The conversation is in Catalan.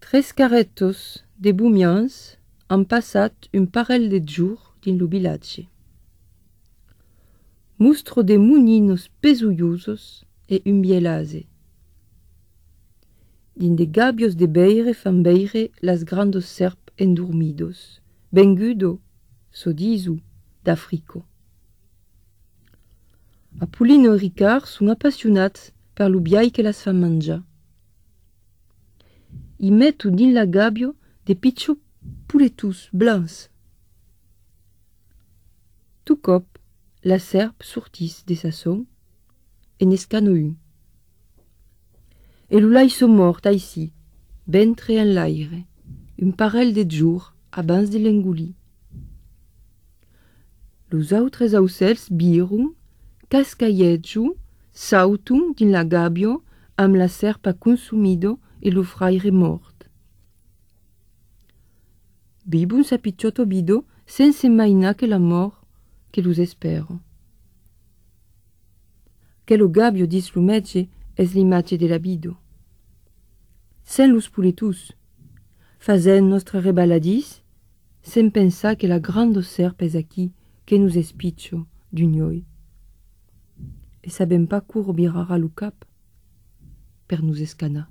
Tres carretos de bumians han passat un parell de jours din lo vilatge. Mustro de muninos pesullosos e un bielase. Din de gabios de beire fan beire las grandos serp endormidos, vengudo, so disu, d'Africo. Apulino e Ricard sun appassionats per lo biai que las fan mangiar. I metto din la gabio de pitjos pouletus blancs. Tout cop, la serp sortis de sa son e n'escano un. E l'ulai so mort aici, ventre en l'aire, un parell de jours abans de l'engolir. Los autres aucels birun, cascaietju, sautun din la gabio amb la serpa consumido e lo fraire mort. Bibun sa picciotto bido sense maina che la mort che los espero. Che lo gabio dis lo metge es l'imatge de la bido. Sen los puletus, fazen nostre rebaladis, sen pensar que la grande serp es aquí que nous espiccio d'un oi. E sabem pas cour birara lo cap per nous escanar.